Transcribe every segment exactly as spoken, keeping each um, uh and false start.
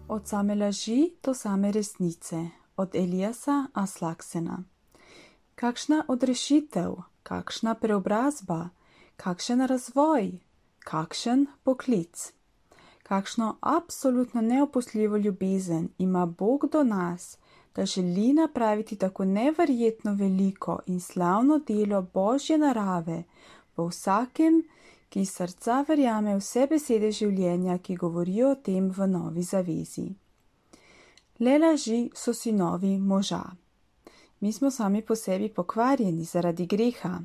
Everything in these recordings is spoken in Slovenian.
Od same laži do same resnice, od Eliasa Aslaksena. Kakšna odrešitev, kakšna preobrazba, kakšen razvoj, kakšen poklic. Kakšno absolutno neopustljivo ljubezen ima Bog do nas, da želi napraviti tako neverjetno veliko in slavno delo Božje narave v vsakem, ki iz srca verjame vse besede življenja, ki govorijo o tem v Novi zavezi. Le laži so sinovi moža. Mi smo sami po sebi pokvarjeni zaradi greha.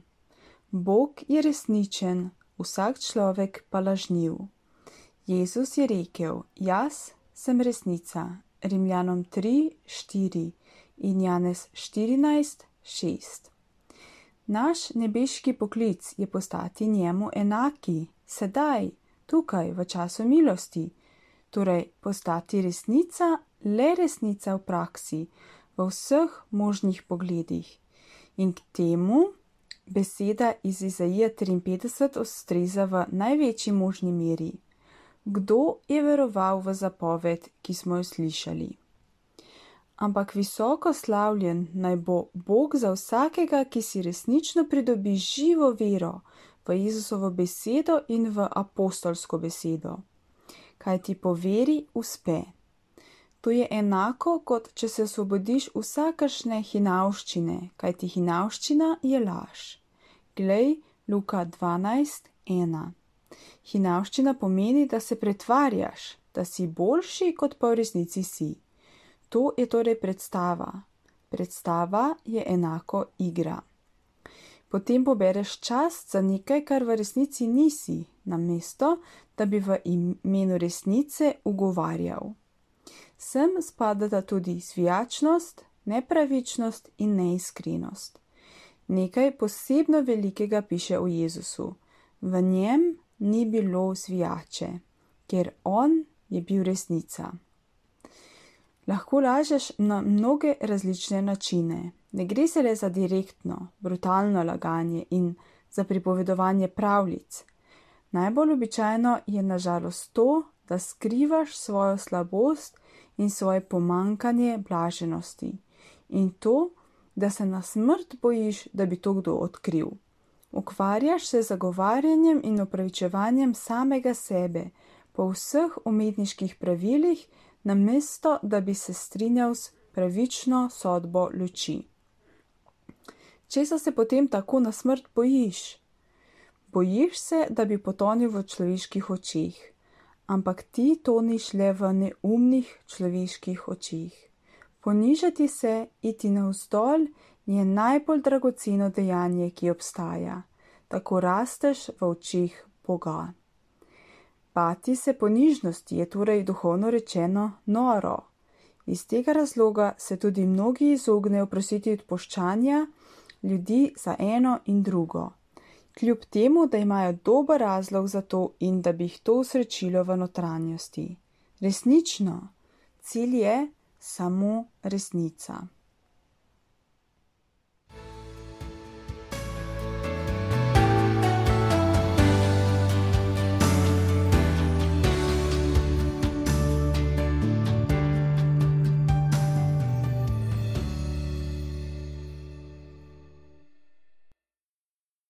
Bog je resničen, vsak človek pa lažniv. Jezus je rekel, jaz sem resnica, Rimljanom tri, štiri in Janez štirinajst, šest. Naš nebeški poklic je postati njemu enaki, sedaj, tukaj, v času milosti, torej postati resnica, le resnica v praksi, v vseh možnih pogledih. In k temu beseda iz Izaije triinpetdeset ustreza v največji možni meri. Kdo je veroval v zapoved, ki smo jo slišali? Ampak visoko slavljen naj bo Bog za vsakega, ki si resnično pridobi živo vero v Jezusovo besedo in v apostolsko besedo. Kaj ti po veri uspe. To je enako, kot če se osvobodiš vsakršne hinavščine, kaj ti hinavščina je laž. Glej, Luka dvanajst, ena. Hinavščina pomeni, da se pretvarjaš, da si boljši, kot pa v resnici si. To je torej predstava. Predstava je enako igra. Potem pobereš čast za nekaj, kar v resnici nisi, namesto, da bi v imenu resnice ugovarjal. Sem spadata tudi zvijačnost, nepravičnost in neiskrenost. Nekaj posebno velikega piše o Jezusu. V njem ni bilo zvijače, ker on je bil resnica. Lahko lažeš na mnoge različne načine. Ne gre se le za direktno, brutalno laganje in za pripovedovanje pravljic. Najbolj običajno je nažalost to, da skrivaš svojo slabost in svoje pomankanje blaženosti. In to, da se na smrt bojiš, da bi to kdo odkril. Ukvarjaš se z zagovarjanjem in opravičevanjem samega sebe po vseh umetniških pravilih, namesto da bi se strinjal s pravično sodbo luči. Česa se potem tako na smrt bojiš? Bojiš se, da bi potonil v človeških očeh, ampak ti toniš le v neumnih človeških očeh. Ponižati se, iti navzdol, je najbolj dragoceno dejanje, ki obstaja. Tako rasteš v očeh Boga. Bati se ponižnosti je torej duhovno rečeno noro. Iz tega razloga se tudi mnogi izognejo prositi odpuščanja ljudi za eno in drugo. Kljub temu, da imajo dober razlog za to in da bi jih to usrečilo v notranjosti. Resnično, cilj je samo resnica.